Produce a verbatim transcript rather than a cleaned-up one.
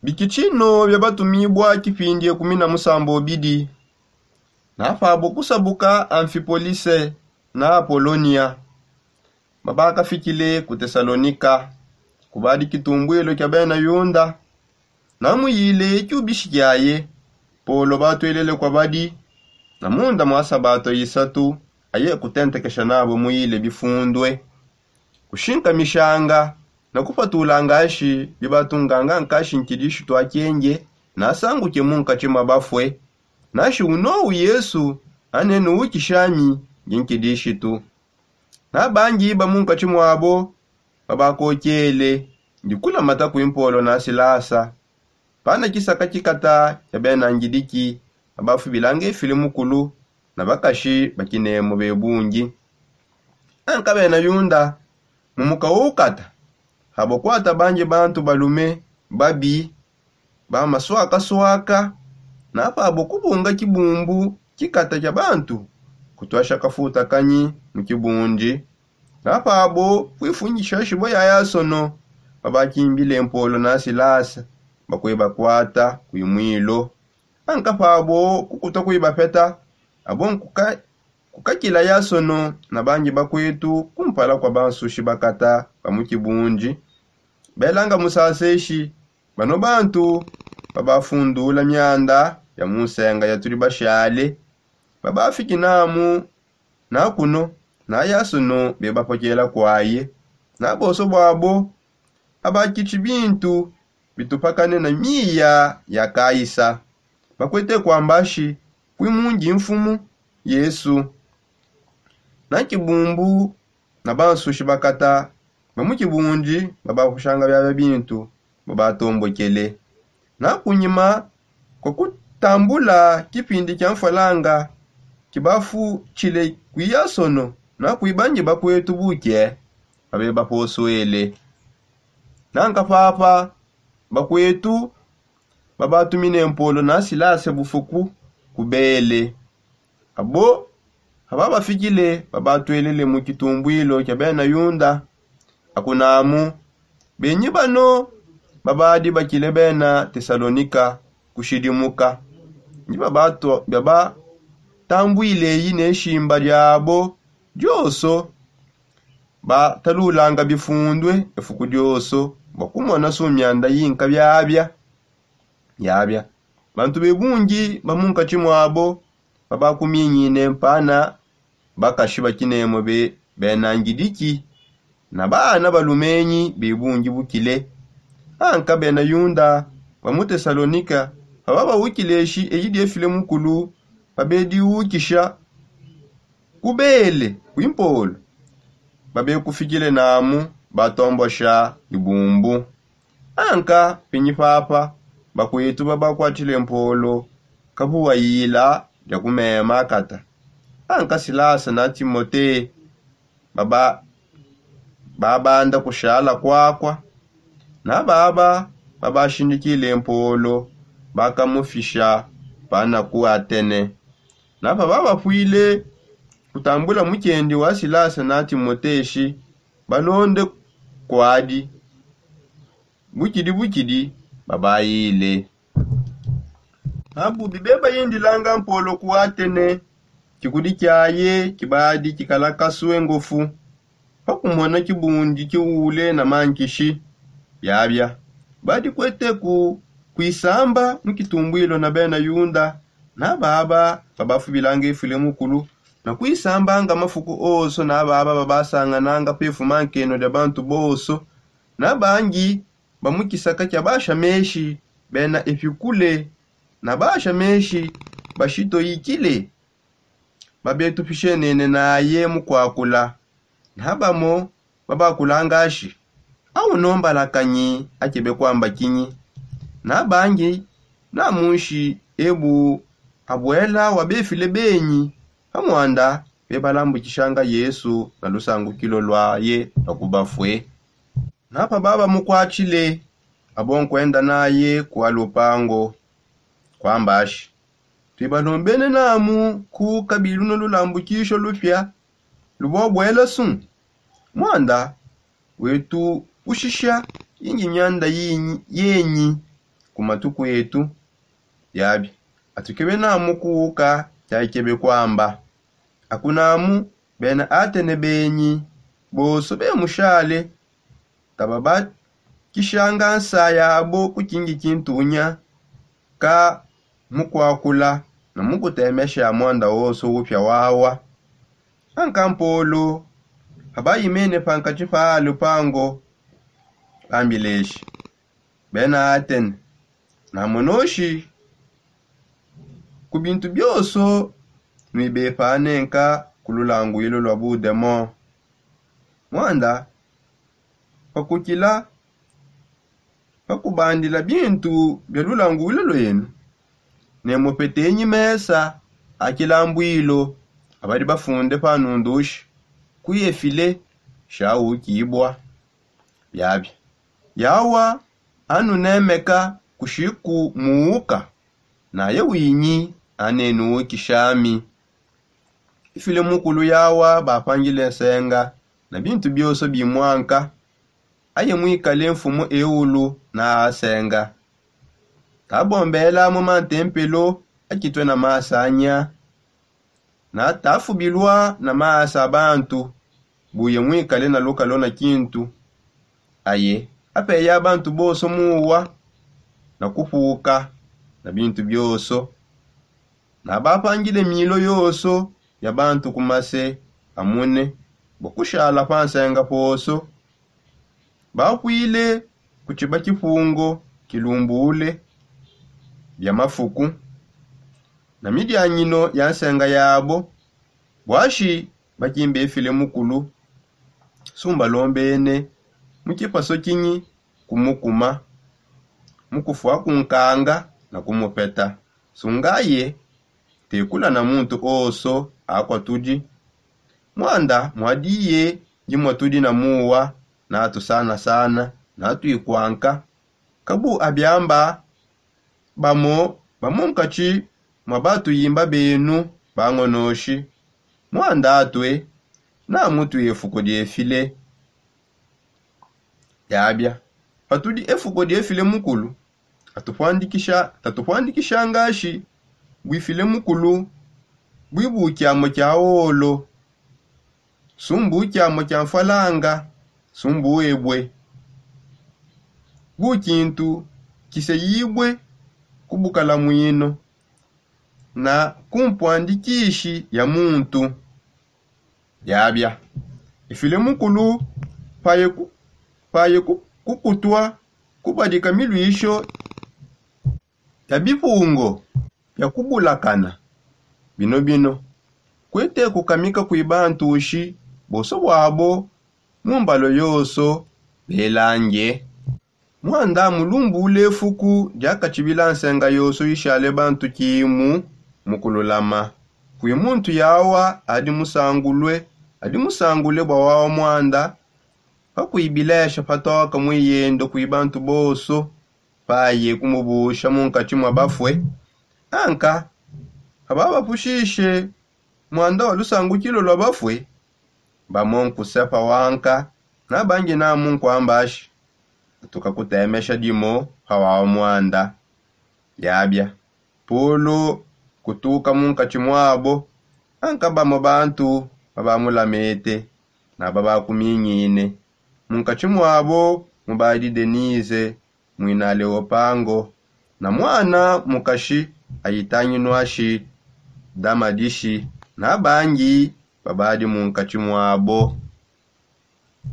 Bikitshino bia batumibua kipindi ekumi na musambo bidi. Na pabo kusabuka amfipolise na apolonia, babakafikile ku tesalonika, kubadi kitumbwilo kia bena yunda. Na muyile kiubishi kiaye, polo batuelele kuabadi na munda mua sabato isatu, aye kutentekesha nabo muyile bifundue, kushinkamishanga na kupatulanga ashi bibatunganga nkashi nkidishitu akenge, na asanguke munkatshi mua bafue. Nashi unou yesu, anenu ukishanyi ndi nkidishitu. Na bangi ba munkatshi muabo babakokele ndi kulamata kui mpolo na silasa. Pana kisaka kikata kia bena ngidiki, babafubilanga efile mukulu na bakashi ba kinemu bebungi. Anka bena yunda, mu muka wo ukata, habo kuata bangi bantu balume babi ba maswakaswaka, na pabo kubunga kibumbu kikata kia bantu kutuasha kafuta kanyi mu kibundi. Na pabo kuifunyisha shibua ya yasono, babakimbile mpolo na silasa, bakue bakuata kui mwilo. Anka pabo kukuta kui bapeta, abo nkuka kukakila yasono na bangi bakuetu kumpala kua bansushi bakata ba mu kibundi. Belanga musaseshi, bano bantu babafundula mianda ya mu nsenga ya tudi bashale, babafiki namu na kuno, na yasono bebapokela kuaye. Na bonso buabo abakitshi bintu bitupakane na miya ya kaisa, bakuete kuamba shi, kui mundi mfumu yesu. Na kibumbu na bansushi bakata ba mu kibundi babakushanga biabia bintu babatombokele. Na kunyima kua kutambula kipindi kia mfwalanga kibafutshile kui yasono na kui bangi bakuetu buke, babe baposuele. Nanka papa bakuetu babatumine mpolo na silase bufuku kubele. Abo ababafikile babatuelele mu kitumbwilo kia bena yunda, akunamu benyi bano babadi bakile bena tesalonika kushidimuka. Ndi babatambwile eyi ne shimba diabo dioso, batalulanga bifundue efuku dioso bua kumona su mianda yinka biabia. Yabia bantu bebungi ba munkatshi muabo babakuminyine mpana, bakashi ba kinemu be bena ngidiki na baana balumenyi bebungi bukile. Anka bena yunda ba mu tesalonika, paba bawukileshi eyi diefile mukulu, babediwukisha kubele kui mpolo, babekufikile namu batombosha dibumbu. Anka pinyi papa bakuetu babakuatshile mpolo kabuwayila dia kumema akata. Anka silasa na timote baba babanda kushala kuakua, na baba babashindikile mpolo bakamufisha pana ku atene. Na paba bapuile kutambula mukendi wa silasa na timote shi balonde kuadi, bukidi bukidi babayile. Abu bibe bayindilanga mpolo ku atene, kikudi kiaye kibadi kikala kasue ngofu pa kumona kibundi kiule na mankishi. Biabia badi kueteku kuisamba mu kitumbwilo na bena yunda, na baba babafubilanga efule mukulu na kuisambanga mafuku onso na baba babasangananga pefuma nkeno dia bantu bonso. Na bangi ba mu kisaka kia basha meshi bena epikule na basha meshi bashitoyikile babetupishenene naye mu kuakula. Na bamo babakulanga ashi, au nombalakanyi akebe kuamba kinyi? Na bangi na munshi ebu abuela wa befile benyi pa muanda bebalambukishanga yesu na lusangukilo luaye lua ku bafue. Na paba bamukuatshile, abo nkuenda naye kua lupango, kuamba ashi, tuibalombene namu ku kabi luno lulambukisho lupia lubua buela su. Muanda wetu ushisha ingi mianda yenyi. ku matu kuetu. Biabi atukebe namu kuuka. Kiakikebe kuamba akunamu bena atene benyi bonso bemushale tababakishanga nsa yabo ku kingi kintunya ka mukuakula na mukutemesha muanda wonso upia wawa. Anka mpolo abayimene pankati pa lupango bambileshi bena atene namonoshi ku bintu bionso nuibepanenka ku lulanguilu lua budemo. Muanda pakukila pakubandila bintu bia lulanguilu luenu ne mupetenyi mesa a kilambuilu abadi bafunde pa nundushi ku efile shaukibua. Biabia yawa anunemeka kushiku muuka naye winyi anenuukishami. Ifile mukulu yawa bapangile nsenga na bintu bionso bimuanka aye muikale mfumu eulu na asenga. Tabombela mu mantempelo akitue na masanya na tafubilua na maasa a bantu buye muikale na lukalo na kintu. Aye apeya bantu bonso muwa na kupuka na bintu bionso na bapangile milo yonso ya bantu ku mase amune bua kushala pa nsenga ponso. Bakuile ku tshiba kipungo kilumbule bia mafuku na midianyino ya nsenga yabo. Buashi bakimbe file mukulu sumbalombene mu kipaso kinyi kumukuma mu kufua kunkanga na kumupeta. Sungaye tekula na muntu onso akua tudi muanda muadiye dimutudi na muwa na tusanasana na tuikuanka. Kabu abiamba bamo ba munkatshi mua batuyimba benu bangonoshi muanda atue na mutue efuku diefile. Yabia patudi efuku diefile mukulu tatupuandikisha tatupuandikisha ngashi buifile mukulu buibu kiamo kia olo sumbu kiamo kia mfalanga sumbu ebue bu kintu kiseyibue ku bukalamuino na kumpuandikishi ya muntu. Yabia ifile mukulu paye ku- paye ku- kukutua kubadika miluisho ya bipungo bia kubulakana bino bino kuete kukamika kui bantushi bonso buabo mu mbalo yonso belange. Muanda mulumbule fuku diakatshibila nsenga yonso ishale bantu kimu mu kululama kui muntu yawa adi musangulue adi musangule bua wawa muanda pakuibilesha patoka muiyendo kui bantu bonso paye kumubusha munkatshi mua bafue. Anka pababapushishe muanda wa lusangukilu lua bafue bamo nkusepa wanka nabangi namu nkuambashi atuka kutemesha dimo pa wawa muanda. Yabia pulu kutuka munkatshi muabo anka bamo bantu babamulamete na babakumingine. Munkatshi muabo mubadi denise muina aleopango na muana mukashi ayitanginuashi damadishi na bangi babadi munkatshi muabo.